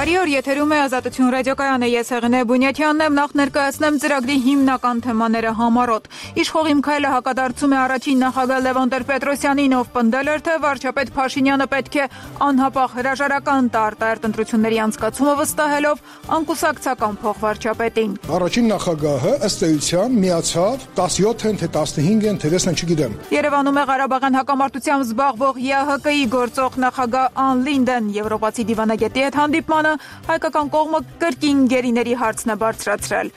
Բարի օր, եթերում է Ազատություն ռադիոկայանը, ես Հեղինե Բունյաթյանն եմ, նախ ներկայացնեմ ծրագրի հիմնական թեմաները համառոտ։ Իշխողիմ քայլը հակադարձում է առաջին նախագահ Լևոն Տեր-Պետրոսյանին, ով պնդել էր, թե վարչապետ Փաշինյանը պետք է անհապաղ հրաժարական տա արտահերթ ընտրությունների անցկացումը վստահելով անկուսակցական փոխվարչապետին։ Առաջին նախագահը ըստ էության միացավ 17 են, թե 15 են, թե 6 են, չգիտեմ։ Երևանում է Ղարաբաղյան հակամարտությամբ զբաղվող ԵԱՀԿ-ի գործող նախագահ Ան Լինդեն եվրոպացի դիվանագետի հետ հանդիպմանը հայկական կողմը կրկին գերիների հարցն է բարձրացրել։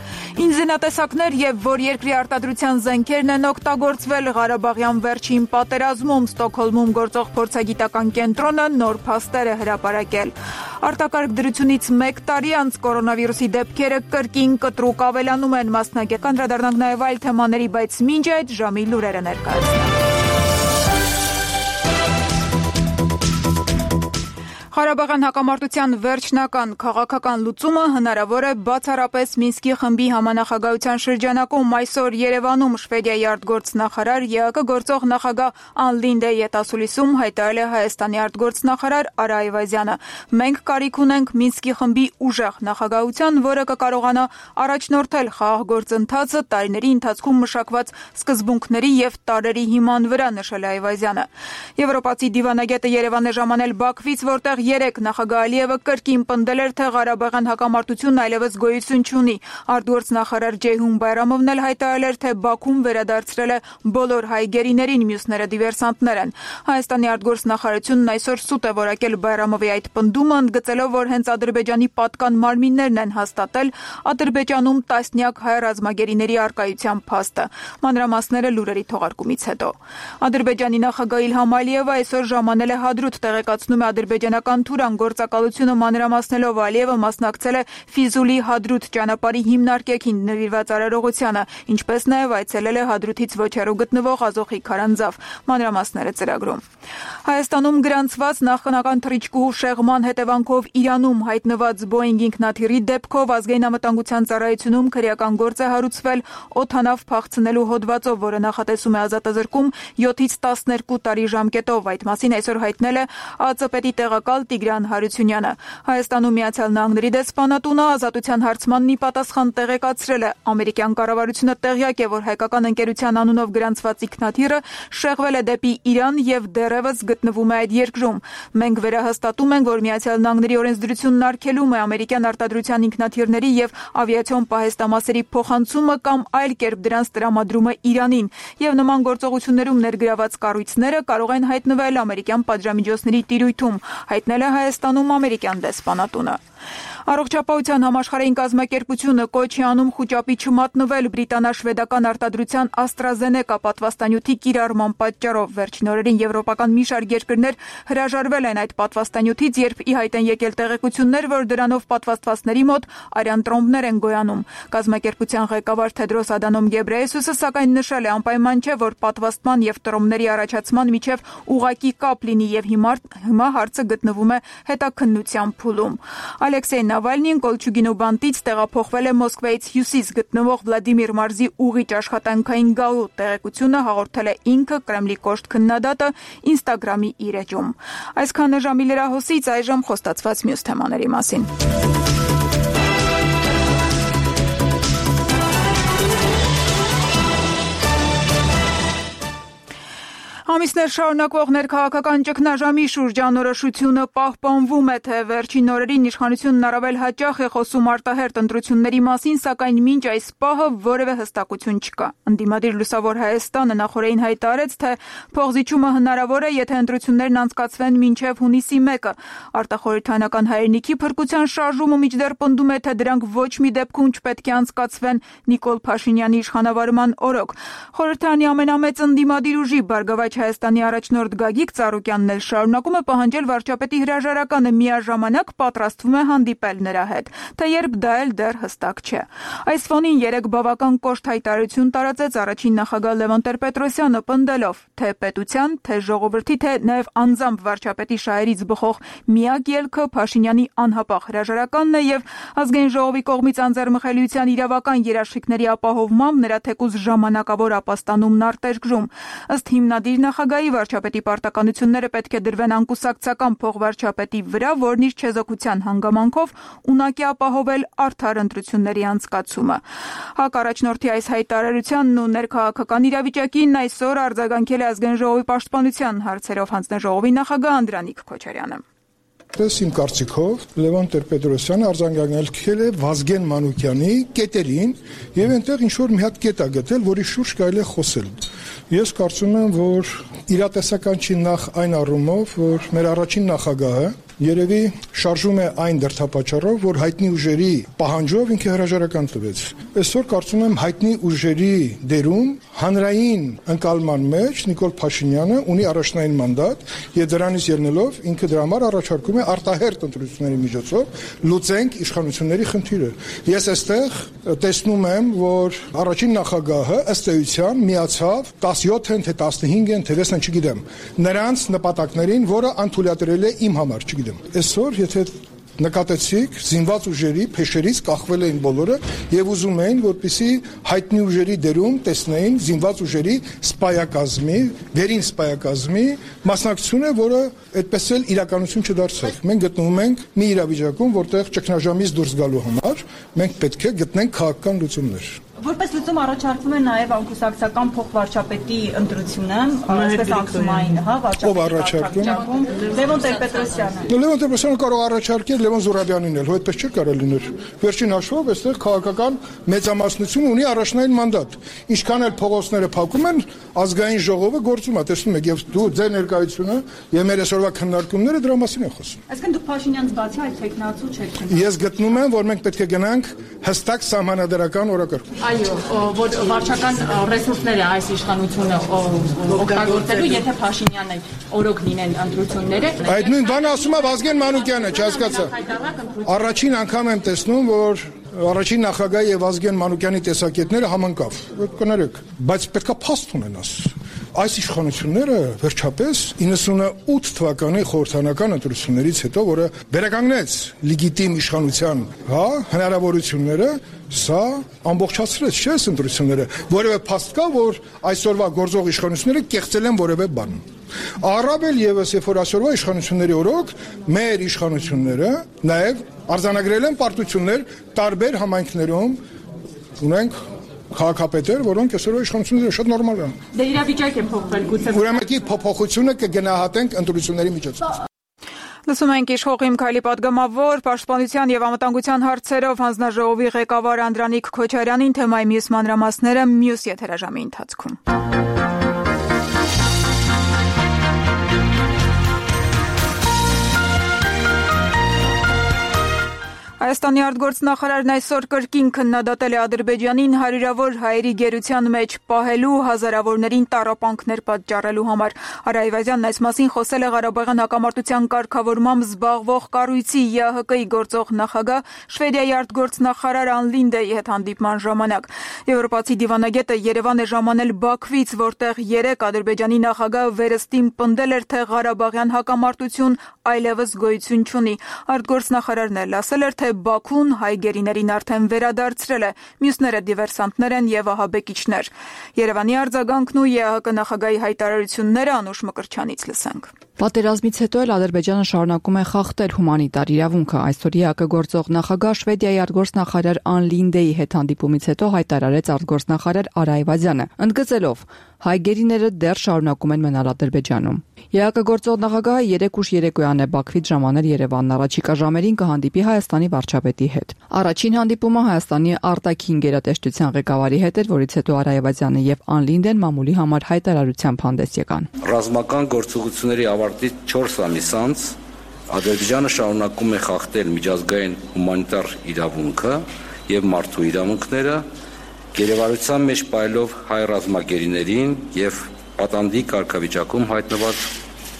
Ինժեներատեսակներ եւ որ երկրի արտադրության զենքերն են օգտագործվել Ղարաբաղյան վերջին պատերազմում Ստոկհոլմում գործող փորձագիտական կենտրոնը նոր փաստեր է հրապարակել։ Արտակարգ դրությունից 1 տարի անց կորոնավիրուսի դեպքերը կրկին կտրուկ ավելանում են, մասնագետ անդրադառնանք նաեւ այլ թեմաների, բայց մինչ այդ ժամի լուրերը ներկայացնենք։ Ղարաբաղյան հակամարտության վերջնական քաղաքական լուծումը հնարավոր է բացառապես Մինսկի խմբի համանախագահության շրջանակում։ Այսօր Երևանում Շվեդիայի արտգործնախարար ԵԱՀԿ գործող նախագահ Ան Լինդեի հետասուլիսում հայտարարել է Հայաստանի արտգործնախարար Արա Այվազյանը։ Մենք կարիք ունենք Մինսկի խմբի ուժեղ նախագահության, որը կկարողանա առաջնորդել խաղաղ գործընթացը տարիների ընթացքում մշակված սկզբունքների եւ տարրերի հիման վրա, նշել է Այվազյանը։ Եվրոպացի դիվանագետը Երևան է ժամանել Բաքվից, որտեղ երեք նախագահ Ալիևը կրկին պնդել էր, թե Ղարաբաղյան հակամարտությունն այլևս գոյություն չունի։ Արտգործնախարար Ջեյհուն Բայրամովն էլ հայտարարել էր, թե Բաքուն վերադարձրել է բոլոր հայ գերիներին, մյուսները դիվերսանտներ են։ Հայաստանի արտգործնախարարությունն այսօր սուտ է որակել Բայրամովի այդ պնդումը, ընդգծելով, որ հենց Ադրբեջանի պատկան մարմիններն են հաստատել Ադրբեջանում տասնյակ հայ ռազմագերիների առկայության փաստը։ Մանրամասները լուրերի թողարկումից հետո։ Ադրբեջանի նախագահ Իլհամ Ալիևը այսօր ժամանել է Հադրութ, տեղեկացնում է ադրբեջանական Թուրան գործակալությունը մանրամասնելով Ալիևը մասնակցել է Ֆիզուլի Հադրութ ճանապարհի հիմնարկեքին նվիրված արարողությանը, ինչպես նաև այցելել է Հադրութից ոչ հեռու գտնվող Ազոխի քարանձավ։ Մանրամասները ծրագրում։ Հայաստանում գրանցված նախնական թռիչքուհու շեղման հետևանքով Իրանում հայտնված Boeing ինքնաթիռի դեպքով ազգային անվտանգության ծառայությունում քրեական գործ է հարուցվել օդանավ փախցնելու հոդվածով, որը նախատեսում է ազատազրկում 7-ից 12 տարի ժամկետով։ Այդ մասին այսօր հայտնել է ԱԾՊ տեղակալ Տիգրան Հարությունյանը։ Հայաստանում Միացյալ Նահանգների դեսպանատունը ազատության հարցմանն ի պատասխան տեղեկացրել է։ Ամերիկյան կառավարությունը տեղյակ է, որ հայկական ընկերության անունով գրանցված ինքնաթիռը շեղվել է դեպի Իրան եւ դեռևս գտնվում է այդ երկրում։ Մենք վերահաստատում ենք, որ Միացյալ Նահանգների օրենսդրությունն արգելում է ամերիկյան արտադրության ինքնաթիռների եւ ավիացիոն պահեստամասերի փոխանցումը կամ այլ կերպ դրանց տրամադրումը Իրանին, եւ նման գործողություններում ներգրաված կառույցները կարող են հայտնվել ամերիկյան պատժամիջոցների տիրույթում, հայտնել է Հայաստանում ամերիկյան դեսպանատունը։ Առողջապահության համաշխարհային կազմակերպությունը կոչ է անում խուճապի չմատնվել բրիտանա-շվեդական արտադրության AstraZeneca պատվաստանյութի կիրառման պատճառով։ Վերջին օրերին եվրոպական մի շարք երկրներ հրաժարվել են այդ պատվաստանյութից, երբ ի հայտ են եկել տեղեկություններ, որ դրանով պատվաստվածների մոտ արյան տրոմբներ են գոյանում։ Կազմակերպության ղեկավար Թեդրոս Ադանոմ Գեբրեյեսուսը սակայն նշել է, անպայման չէ, որ պատվաստման եւ տրոմբների առաջացման միջև ուղղակի կապ լինի, եւ հիմա հարցը գտնվում է հետաքննության փուլում։ Ալեքսեյ Նավալնին Կոլչուգինու բանտից տեղափոխվել է Մոսկվայից հյուսիս գտնվող Վլադիմիր մարզի ուղիչ աշխատանքային գալու տեղեկությունը հաղորդել է ինքը Կրեմլի կոշտ քննադատը Instagram-ի իր էջում։ Այսքանը ժամի լրահոսից, այժմ խոստացված մյուս թեմաների մասին։ Ամիսներ շարունակվող ներքաղաքական ճգնաժամի շուրջ անորոշությունը պահպանվում է, թե վերջին օրերին իշխանությունն առավել հաճախ է խոսում արտահերթ ընտրությունների մասին, սակայն մինչ այս պահը որևէ հստակություն չկա։ Ընդդիմադիր Լուսավոր Հայաստանը նախորդին հայտարարեց, թե փողզիջումը հնարավոր է, եթե ընտրություններն անցկացվեն մինչև հունիսի 1-ը։ Արտախորհրդանական հայրենիքի փրկության շարժումը մինչդեռ պնդում է, թե դրանք ոչ մի դեպքում չպետք է անցկացվեն Նիկոլ Փաշինյանի իշխանավարման օրոք։ Խորհրդարանի ամենամեծ ընդդիմադիր ուժի Բարգավաճ Հայաստանի առաջնորդ Գագիկ Ծառուկյանն էլ շարունակում է պահանջել վարչապետի հրաժարականը, միաժամանակ պատրաստվում է հանդիպել նրա հետ, թե երբ դա էլ դեռ հստակ չէ։ Այս ֆոնին երեք բավական կոշտ հայտարարություն տարածեց առաջին նախագահ Լևոն Տեր-Պետրոսյանը, պնդելով, թե պետության, թե ժողովրդի, թե նաև անձամբ վարչապետի շահերից բխող միակ ելքը Փաշինյանի անհապաղ հրաժարականն է եւ ազգային ժողովի կողմից անձեռմխելիության իրավական երաշխիքների ապահովմամբ նրա թեկուզ ժամանակավոր ապաստանումն արտերկրում։ Ըստ հիմնադիր նախագահի վարչապետի պարտականությունները պետք է դրվեն անկուսակցական փոխվարչապետի վրա, որն իր չեզոքության հանգամանքով ունակի ապահովել արդար ընտրությունների անցկացումը։ ՀԱԿ առաջնորդի այս հայտարարությանն ու ներքաղաքական իրավիճակին այսօր արձագանքել է Ազգային ժողովի պաշտպանության հարցերով հանձնաժողովի նախագահ Անդրանիկ Քոչարյանը։ Իմ կարծիքով Լևոն Տեր-Պետրոսյանը արձագանքել է Վազգեն Մանուկյանի կետերին եւ այնտեղ ինչ որ մի հատ կետ է գտել, որի շուրջ կարելի է խոսել։ Ես կարծում եմ, որ իրատեսական չի նախ այն առումով, որ մեր առաջին նախագահը երևի շարժում է այն դրդապատճառով, որ հայտնի ուժերի պահանջով ինքը հրաժարական տվեց։ Այսօր կարծում եմ հայտնի ուժերի դերում հանրային ընկալման մեջ Նիկոլ Փաշինյանը ունի առաջնային մանդատ եւ դրանից ելնելով ինքը դրա համար առաջարկում է արտահերթ ընտրությունների միջոցով լուծենք իշխանությունների խնդիրը։ Ես այստեղ տեսնում եմ, որ առաջին նախագահը ըստ էության միացավ 17-ն թե 15-ն թե 6-ն չգիտեմ նրանց նպատակներին, որը անթույլատրել է իմ համար, չգիտեմ։ Այսօր եթե նկատեցիք զինված ուժերի փեշերից կախվել էին բոլորը եւ ուզում էին, որպեսզի հայտնի ուժերի դերում տեսնեին զինված ուժերի սպայակազմի, վերին սպայակազմի մասնակցությունը, որը այդպես էլ իրականություն չդարձավ։ Մենք գտնվում ենք մի իրավիճակում, որտեղ ճգնաժամից դուրս գալու համար մենք պետք է գտնենք քաղաքական լուծումներ։ Որպես լուծում առաջարկվում է նաև անկուսակցական փոխվարչապետի ընտրությունը, այսպես անկումային, ով առաջարկում։ Լևոն Տեր-Պետրոսյանը։ Լևոն Տեր-Պետրոսյանը կարող առաջարկել Լևոն Զուրաբյանին էլ, այդպես չէր կարող լինել։ Վերջին հաշվով այստեղ քաղաքական մեծամասնությունը ունի առաջնային մանդատ։ Ինչքան էլ փողոցները փակում են, ազգային ժողովը գործում է, տեսնում եք, եւ դու ձեր ներկայությունը եւ մեր այսօրվա քննարկումները դրա մասին են խոսում։ Այսինքն դուք Փաշինյանից բացի այդ տեխնացու չեք։ Ես գտնում եմ, որ մենք պետք է գնանք հստակ սահմանադրական օրակարգ։ Այո, որ վարչական ռեսուրսները այս իշխանությունը օգտագործելու, եթե Փաշինյանը օրոք լինեն ընտրությունները։ Այդ նույն բանը ասում է Վազգեն Մանուկյանը, չհասկացա։ Առաջին անգամ եմ տեսնում, որ առաջին նախագահի եւ Վազգեն Մանուկյանի տեսակետները համընկավ։ Կներեք, բայց պետքա փաստ ունենաս։ Այս իշխանությունները վերջապես 98 թվականի խորհրդանական ընտրություններից հետո, որը վերականգնեց լեգիտիմ իշխանության, հնարավորությունները, սա ամբողջացրեց, չէ՞, ընտրությունները, որևէ փաստ կա, որ այսօրվա գործող իշխանությունները կեղծել են որևէ բան։ Առավել եւս, երբ որ այսօրվա իշխանությունների օրոք մեր իշխանությունները նաեւ արձանագրել են պարտություններ տարբեր համայնքներում, ունենք քաղաքապետեր, որոնք այսօր իշխանությունները շատ նորմալ են։ Դե իրավիճակ է փոխվել գուցե։ Ուրեմն փոփոխությունը կգնահատենք ընտրությունների միջոցով։ Լսում ենք իշխող Իմքայլի պատգամավոր պաշտպանության եւ անվտանգության հարցերով հանձնաժողովի ղեկավար Անդրանիկ Քոչարյանին, թեմայի մյուս մանրամասները մյուս եթերաժամի ընթացքում։ Հայաստանի արտգործնախարարն այսօր կրկին քննադատել է Ադրբեջանին հարյուրավոր հայերի գերության մեջ պահելու, հազարավորներին տառապանքներ պատճառելու համար։ Արա Այվազյանն այս մասին խոսել է Ղարաբաղյան հակամարտության կարգավորմամբ զբաղվող կառույցի ԵԱՀԿ-ի գործող նախագահ Շվեդիայի արտգործնախարար Ան Լինդեի հետ հանդիպման ժամանակ։ Եվրոպացի դիվանագետը Երևան է ժամանել Բաքվից, որտեղ երեկ Ադրբեջանի նախագահը վերստին պնդել էր, թե Ղարաբաղյան հակամարտություն այլևս գոյություն չունի։ Արտգործնախարարն էլ ասել էր, թե Բաքուն հայ գերիներին արդեն վերադարձրել է, մյուսները դիվերսանտներ են եւ ահաբեկիչներ։ Երևանի արձագանքն ու ԵԱՀԿ նախագահի հայտարարությունները Անուշ Մկրտչյանից լսենք։ Պատերազմից հետո էլ Ադրբեջանը շարունակում է խախտել հումանիտար իրավունքը։ Այսօր ԵԱՀԿ գործող նախագահ Շվեդիայի արտգործնախարար Ան Լինդեի հետ հանդիպումից հետո հայտարարեց արտգործնախարար Արա Այվազյանը, ընդգծելով, հայ գերիները դեռ շարունակում են մնալ Ադրբեջանում։ ԵԱՀԿ գործող նախագահը երեկ ուշ երեկոյան է Բաքվից ժամանել Երևանն, առաջիկա ժամերին կհանդիպի Հայաստանի վարչապետի հետ։ Առաջին հանդիպումը Հայաստանի արտաքին գերատեսչության ղեկավարի հետ էր, որից հետո Արա Այվազյանը եւ Ան Լինդեն մամուլի համար հայտարարությամբ հանդես եկան։ Ռազմական գործողությունների ավարտից 4 ամիս անց Ադրբեջանը շարունակում է խախտել միջազգային հումանիտար իրավունքը եւ մարդու իրավունքները, գերեվարության մեջ պայելով հայ ռազմագերիներին եւ պատանդի կարգավիճակում հայտնված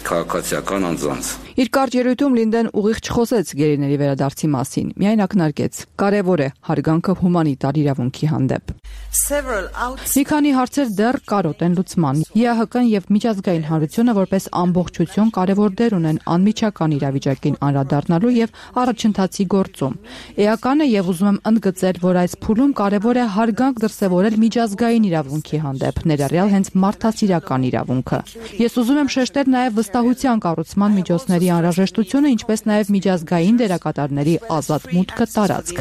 քաղաքացիական անձանց։ Իր կարճ ելույթում Լինդեն ուղիղ չխոսեց գերիների վերադարձի մասին, միայն ակնարկեց. կարևոր է հարգանքը հումանիտար իրավունքի հանդեպ։ Մի քանի հարցեր դեռ կարոտ են լուծման։ ԵԱՀԿ-ն եւ միջազգային հանրությունը որպես ամբողջություն կարևոր դեր ունեն անմիջական իրավիճակին անդրադառնալու եւ առաջընթացի գործում։ Էական է եւ ուզում եմ ընդգծել, որ այս փուլում կարևոր է հարգանք դրսեւորել միջազգային իրավունքի հանդեպ, ներառյալ հենց մարդասիրական իրավունքը։ Ես ուզում եմ շեշտել նաեւ վստահության կառուցման միջոցների անհրաժեշտությունը, ինչպես նաեւ միջազգային դերակատարների ազատ մուտքը տարածք։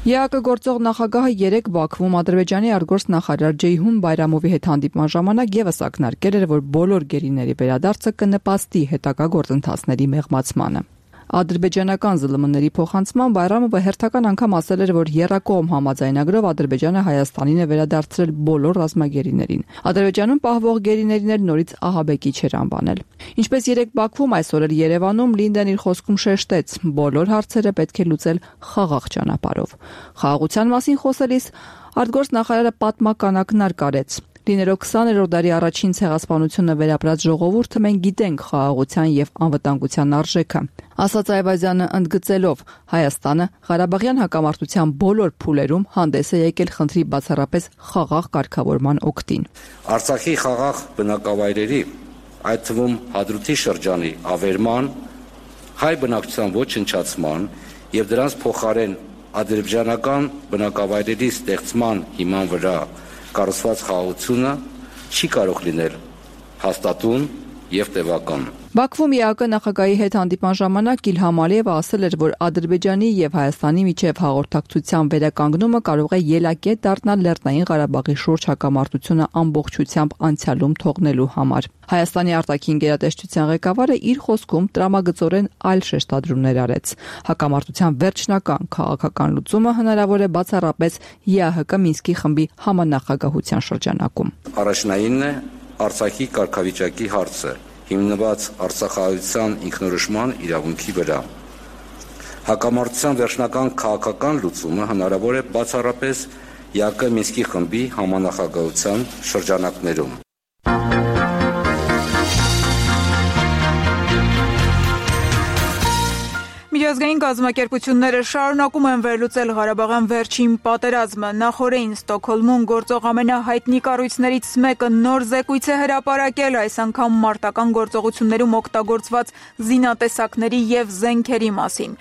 ԵԱՀԿ գործող նախագահը երեկ Բաքվում Ադրբեջանի արտգործնախարար Ջեյհուն Բայրամովի հետ հանդիպման ժամանակ եւս ակնարկել էր, որ բոլոր գերիների վերադարձը կնպաստի հետագա գործընթացների մեղմացմանը։ Ադրբեջանական ԶԼՄ-ների փոխանցման Բայրամովը հերթական անգամ ասել էր, որ եռակողմ համաձայնագրով Ադրբեջանը Հայաստանին է վերադարձրել բոլոր ռազմագերիներին։ Ադրբեջանում պահվող գերիներին էլ նորից ահաբեկիչ էր անվանել։ Ինչպես երեկ Բաքվում, այսօր էլ Երևանում Լինդեն իր խոսքում շեշտեց, բոլոր հարցերը պետք է լուծել խաղաղ ճանապարհով։ Խաղաղության մասին խոսելիս արտգործնախարարը պատմական ակնարկ արեց։ Լինելով 20-րդ դարի առաջին ցեղասպանությունը վերապրած ժողովուրդը մենք գիտենք խաղաղության եւ անվտանգության արժեքը։ Ասաց Այվազյանը ընդգծելով, Հայաստանը Ղարաբաղյան հակամարտության բոլոր փուլերում հանդես է եկել խնդրի բացառապես խաղաղ կարգավորման օգտին։ Արցախի խաղաղ բնակավայրերի, այդ թվում Հադրութի շրջանի ավերման, հայ բնակչության ոչնչացման եւ դրանց փոխարեն ադրբեջանական բնակավայրերի ստեղծման հիման վրա կառուցված խաղաղությունը չի կարող լինել հաստատուն եւ տևական։ Բաքվում ԵԱՀԿ նախագահի հետ հանդիպման ժամանակ Իլհամ Ալիևը ասել էր, որ Ադրբեջանի եւ Հայաստանի միջև հաղորդակցության վերականգնումը կարող է ելակետ դառնալ Լեռնային Ղարաբաղի շուրջ հակամարտությունը ամբողջությամբ անցյալում թողնելու համար։ Հայաստանի արտաքին գերատեսչության ղեկավարը իր խոսքում տրամագծորեն այլ շեշտադրումներ արեց։ Հակամարտության վերջնական քաղաքական լուծումը հնարավոր է բացառապես ԵԱՀԿ Մինսկի խմբի համանախագահության շրջանակում։ Առաջնայինն է Արցախի կարգավիճակի հարցը, հիմնված արցախահայության ինքնորոշման իրավունքի վրա։ Հակամարտության վերջնական քաղաքական լուծումը հնարավոր է բացառապես ԵԱՀԿ Մինսկի խմբի համանախագահության շրջանակներում։ Միջազգային կազմակերպությունները շարունակում են վերլուծել Ղարաբաղյան վերջին պատերազմը։ Նախորդին Ստոկհոլմում գործող ամենահայտնի կառույցներից մեկը նոր զեկույց է հրապարակել, այս անգամ մարտական գործողություններում օգտագործված զինատեսակների եւ զենքերի մասին։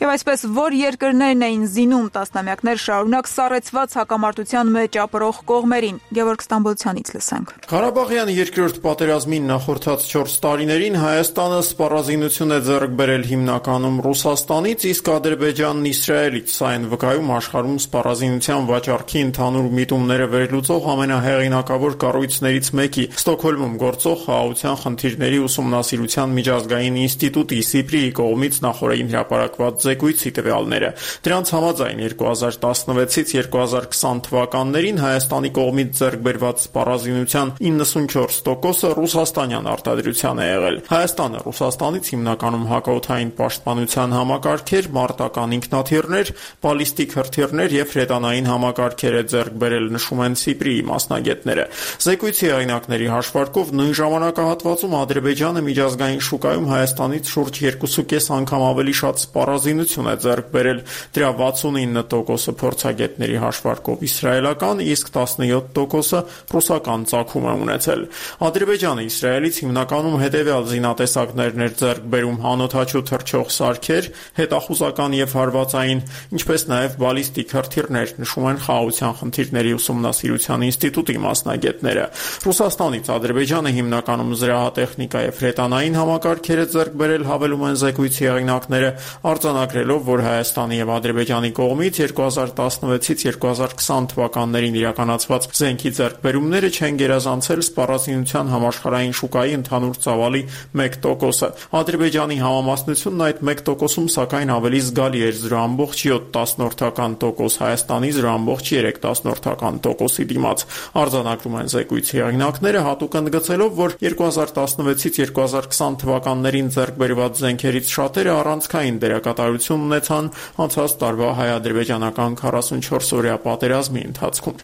Եվ այսպես, որ երկրներն էին զինում տասնամյակներ շարունակ սառեցված հակամարտության մեջ ապրող կողմերին։ Գևորգ Ստամբոլցյանից լսենք։ Ղարաբաղյան երկրորդ պատերազմին նախորդած 4 տարիներին Հայաստանը սպառազինություն է ձեռք բերել հիմնականում Ռուսաստանից, իսկ Ադրբեջանն Իսրայելից, սա են վկայում աշխարհում սպառազինության վաճառքի ընդհանուր միտումները վերլուծող ամենահեղինակավոր կառույցներից մեկի Ստոկհոլմում գործող խաղաղության խնդիրների ուսումնասիրության միջազգային ինստիտուտի SIPRI-ի կողմից նախորդին հրապարակված զեկույցի տվյալները։ Դրանց համաձայն 2016-ից 2020 թվականներին Հայաստանի կողմից ձեռք բերված սպառազինության 94%-ը ռուսաստանյան արտադրության է եղել։ Հայաստանը Ռուսաստանից հիմնականում հակաօդային պաշտպանության համակարգեր, մարտական ինքնաթիռներ, բալիստիկ հրթիռներ եւ հրետանային համակարգեր է ձեռք բերել, նշում են SIPRI-ի մասնագետները։ Զեկույցի հեղինակների հաշվարկով նույն ժամանակահատվածում Ադրբեջանը միջազգային շուկայում Հայաստանից շուրջ 2.5 անգամ ավելի շատ սպառազինություն է ձեռք բերել, դրա 69%-ը փորձագետների հաշվարկով իսրայելական, իսկ 17%-ը ռուսական ծագում է ունեցել։ Ադրբեջանը Իսրայելից հիմնականում հետևյալ զինատեսակներն էր ձեռք բերում՝ անօդաչու թռչող սարքեր, հետախուզական եւ հարվածային, ինչպես նաեւ բալիստիկ հրթիռներ, նշում են խաղաղության խնդիրների ուսումնասիրության ինստիտուտի մասնագետները։ Ռուսաստանից Ադրբեջանը հիմնականում զրահատեխնիկա եւ հրետանային համակարգեր է ձեռք բերել, հավելում են զեկույցի հեղինակները, արձանագրելով, որ Հայաստանի եւ Ադրբեջանի կողմից 2016-ից 2020 թվականներին իրականացված զենքի ձեռքբերումները չեն գերազանցել սպառազինության համաշխարհային շուկայի ընդհանուր ծավալի 1%-ը։ Ադրբեջանի համամասնությունն այդ 1%-ում սակայն ավելի զգալի էր 0.7%, Հայաստանի 0.3%-ի դիմաց։ Արձանագրում են զեկույցի հեղինակները, հատուկ ընդգծելով, որ 2016-ից 2020 թվականներին ձեռք բերված զենքերից շատերը առանցքային դերակատարություն ունեցան անցած տարվա հայ-ադրբեջանական 44-օրյա պատերազմի ընթացքում։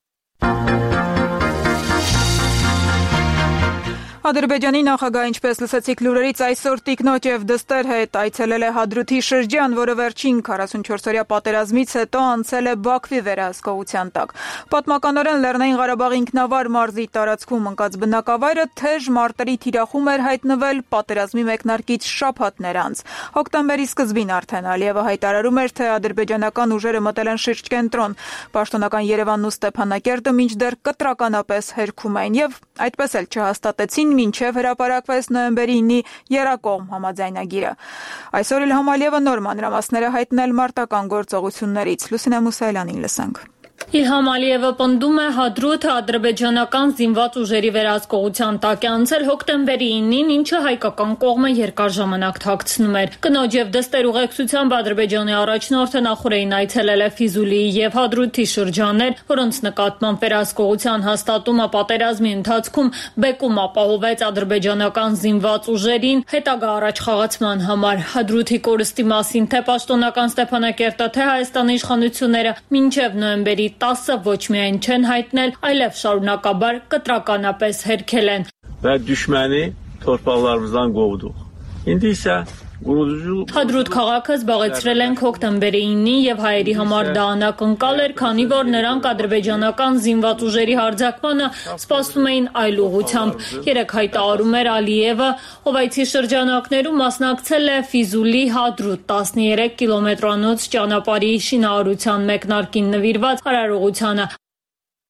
Ադրբեջանի նախագահ, ինչպես լսեցիք լուրերից, այսօր տիկնոջ եւ դստեր հետ այցելել է Հադրութի շրջան, որը վերջին 44-օրյա պատերազմից հետո անցել է Բաքվի վերահսկողության տակ։ Պատմականորեն Լեռնային Ղարաբաղի ինքնավար մարզի տարածքում ընկած բնակավայրը թեժ մարտերի թիրախում էր հայտնվել պատերազմի մեկնարկից շաբաթներ անց։ Հոկտեմբերի սկզբին արդեն Ալիևը հայտարարում էր, թե ադրբեջանական ուժերը մտել են շրջկենտրոն։ Պաշտոնական Երևանն ու Ստեփանակերտը մինչդեռ կտրականապես հերքում էին եւ այդպես էլ չհաստատեցին մինչև հրապարակվեց նոյեմբերի 9-ի եռակողմ համաձայնագիրը։ Այսօր Իլհամ Ալիևը նոր մանրամասներ է հայտնել մարտական գործողություններից։ Լուսինե Մուսայելյանին լսենք։ Իլհամ Ալիևը պնդում է Հադրութը ադրբեջանական զինված ուժերի վերահսկողության տակ է անցել հոկտեմբերի 9-ին, ինչը հայկական կողմը երկար ժամանակ թաքցնում էր։ Կնոջ եւ դստեր ուղեկցությամբ Ադրբեջանի առաջնորդը նախորդին այցելել է Ֆիզուլիի եւ Հադրութի շրջաններ, որոնց նկատմամբ վերահսկողության հաստատումը պատերազմի ընթացքում բեկում ապահովեց ադրբեջանական զինված ուժերին հետագա առաջխաղացման համար։ Հադրութի կորստի մասին թե պաշտոնական Ստեփանակերտը, թե Հայաստանի իշխանությունները մինչև նոյեմբերի 10-ը ոչ միայն չեն հայտնել, այլև շարունակաբար կտրականապես հերքել են։ Və düşməni torpaqlarımızdan qovduq. İndi isə Հադրութ քաղաքը զբաղեցրել ենք հոկտեմբերի 9-ին եւ հայերի համար դա անակնկալ էր, քանի որ նրանք ադրբեջանական զինված ուժերի հարձակմանը սպասում էին այլ ուղղությամբ։ Երեք հայտարարում էր Ալիևը, ով այցի շրջանակներում մասնակցել է Ֆիզուլի Հադրութ 13 կիլոմետրանոց ճանապարհի շինարարության մեկնարկին նվիրված արարողությանը։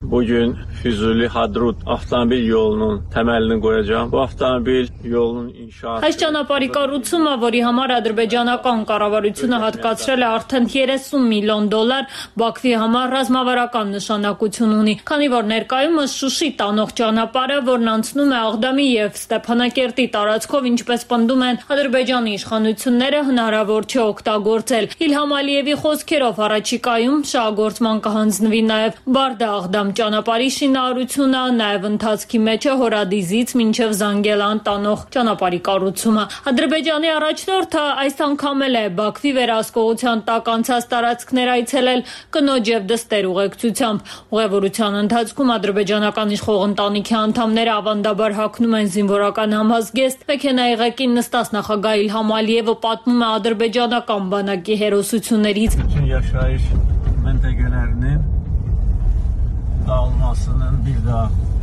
Bugün Füzuli Hadrut avtomobil yolunun təməlini qoyacağam. Bu avtomobil yolunun inşaatı. Այս ճանապարհի կառուցումը, որի համար ադրբեջանական կառավարությունը հատկացրել է արդեն 30 միլիոն դոլար, Բաքվի համար ռազմավարական նշանակություն ունի, քանի որ ներկայումս Շուշի տանող ճանապարհը, որն անցնում է Աղդամի եւ Ստեփանակերտի տարածքով, ինչպես պնդում են Ադրբեջանի իշխանությունները, հնարավոր չէ օգտագործել։ Իլհամ Ալիևի խոսքերով առաջիկայում շահագործման կհանձնվի նաեւ Բարդա-Աղդամ ճանապարհի շինարարությունը, նաև ընթացքի մեջ է Հորադիզից մինչև Զանգելան տանող ճանապարհի կառուցումը։ Ադրբեջանի առաջնորդը այս անգամ էլ է Բաքվի վերահսկողության տակ անցած տարածքներ այցելել կնոջ եւ դստեր ուղեկցությամբ։ Ուղևորության ընթացքում ադրբեջանական իշխող ընտանիքի անդամները ավանդաբար հագնում են զինվորական համազգեստ։ Մեքենայի ղեկին նստած նախագահ Իլհամ Ալիևը պատմում է ադրբեջանական բանակի հերոսություններից։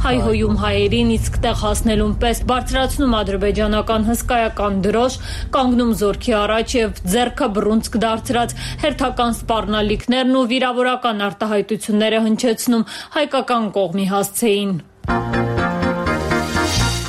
Հայհոյում հայերին իսկ տեղ հասնելուն պես բարձրացնում ադրբեջանական հսկայական դրոշ, կանգնում զորքի առաջ եւ ձեռքը բռունցք դարձրած հերթական սպառնալիքներն ու վիրավորական արտահայտությունները հնչեցնում հայկական կողմի հասցեին։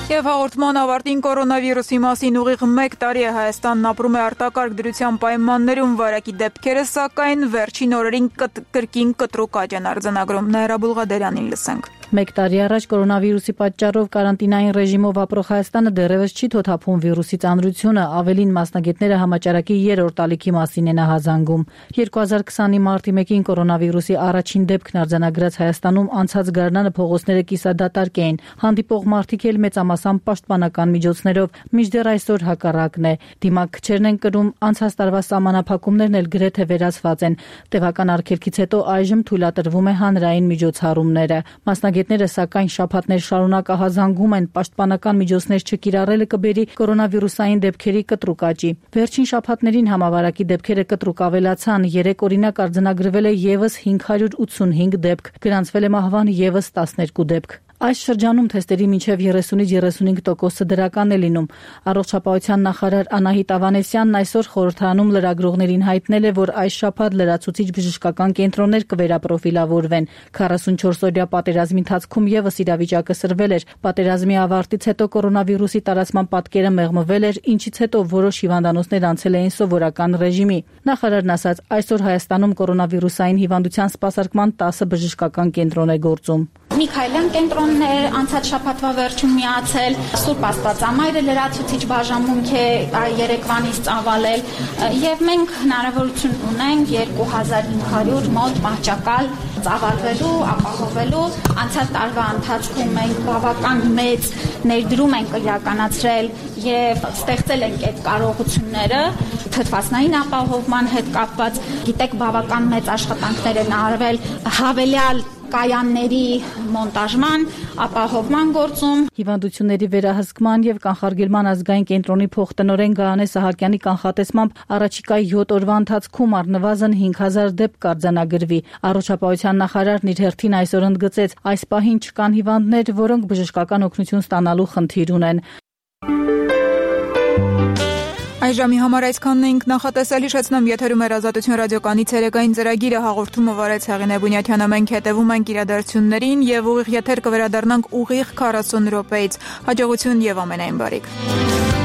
Եվ հաղորդման ավարտին կորոնավիրուսի մասին ուղիղ 1 տարի է Հայաստանն ապրում է արտակարգ դրության պայմաններում, վարակի դեպքերը սակայն վերջին օրերին կրկին կտրուկ աճ են արձանագրում։ Նաիրա Բուլղադերյանին լսենք։ 1 տարի առաջ կորոնավիրուսի պատճառով կարանտինային ռեժիմով ապրող Հայաստանը դեռևս չի թոթափում վիրուսի ծանրությունը, ավելին մասնագետները համաճարակի 3-րդ ալիքի մասին են ահազանգում։ 2020-ի մարտի 1-ին կորոնավիրուսի առաջին դեպքն արձանագրած Հայաստանում անցած գարնանը փողոցները կիսադատարկ էին, հանդիպող մարդիկ էլ մեծամասամբ պաշտպանական միջոցներով, մինչդեռ այսօր հակառակն է։ Դիմակչերն են կրում, անցած տարվա սահմանափակումներն էլ գրեթե վերացված են։ Տևական արգելքից հետո այժմ թույլատրվում է հանրային միջոցառումները։ Մասնագետները սակայն շաբաթներ շարունակ ահազանգում են պաշտպանական միջոցներ չկիրառելը կբերի կորոնավիրուսային դեպքերի կտրուկ աճի։ Վերջին շաբաթներին համավարակի դեպքերը կտրուկ ավելացան, 3 օրինակ արձանագրվել է եւս 585 դեպք, գրանցվել է մահվան եւս 12 դեպք։ Այս շրջանում թեստերի մինչև 30-ից 35% դրական է լինում։ Առողջապահության նախարար Անահիտ Ավանեսյանն այսօր խորհրդարանում լրագրողներին հայտնել է, որ այս շաբաթ լրացուցիչ բժշկական կենտրոններ կվերապրոֆիլավորվեն։ 44-օրյա պատերազմի ընթացքում եւս իրավիճակը սրվել էր։ Պատերազմի ավարտից հետո կորոնավիրուսի տարածման պատկերը մեղմվել էր, ինչից հետո որոշ հիվանդանոցներ անցել էին սովորական ռեժիմի։ Նախարարն ասաց, այսօր Հայաստանում կորոնավիրուսային հիվանդության սպասարկման 10 բժշկական կենտրոն է գործում։ Միքայելյան կենտրոններ անցած շաբաթվա վերջում միացել, Սուրբ Աստվածամայրը լրացուցիչ բաժանմունք է երեկվանից ծավալել եւ մենք հնարավորություն ունենք 2500 մոտ մահճակալ ծավալվելու, ապահովելու։ Անցած տարվա ընթացքում մենք բավական մեծ ներդրում ենք իրականացրել եւ ստեղծել ենք այդ կարողությունները թթվածնային ապահովման հետ կապված։ Գիտեք, բավական մեծ աշխատանքներ են արվել հավելյալ կայանների մոնտաժման, ապահովման գործում։ Հիվանդությունների վերահսկման եւ կանխարգելման ազգային կենտրոնի փոխտնօրեն Գայանե Սահակյանի կանխատեսմամբ առաջիկայի 7 օրվա ընթացքում առնվազն 5000 դեպք կարձանագրվի։ Առողջապահության նախարարն իր հերթին այսօր ընդգծեց, այս պահին չկան հիվանդներ, որոնք բժշկական օգնություն ստանալու խնդիր ունեն։ Այժմի համար այսքանն էինք նախատեսել, հիշեցնում եթերում էր Ազատություն ռադիոկայանի ցերեկային ծրագիրը, հաղորդումը վարեց Հեղինե Բունյաթյանը, մենք հետևում ենք իրադարձություններին եւ ուղիղ եթեր կվերադառնանք ուղիղ 40 րոպեից։ Հաջողություն եւ ամենայն բարիք։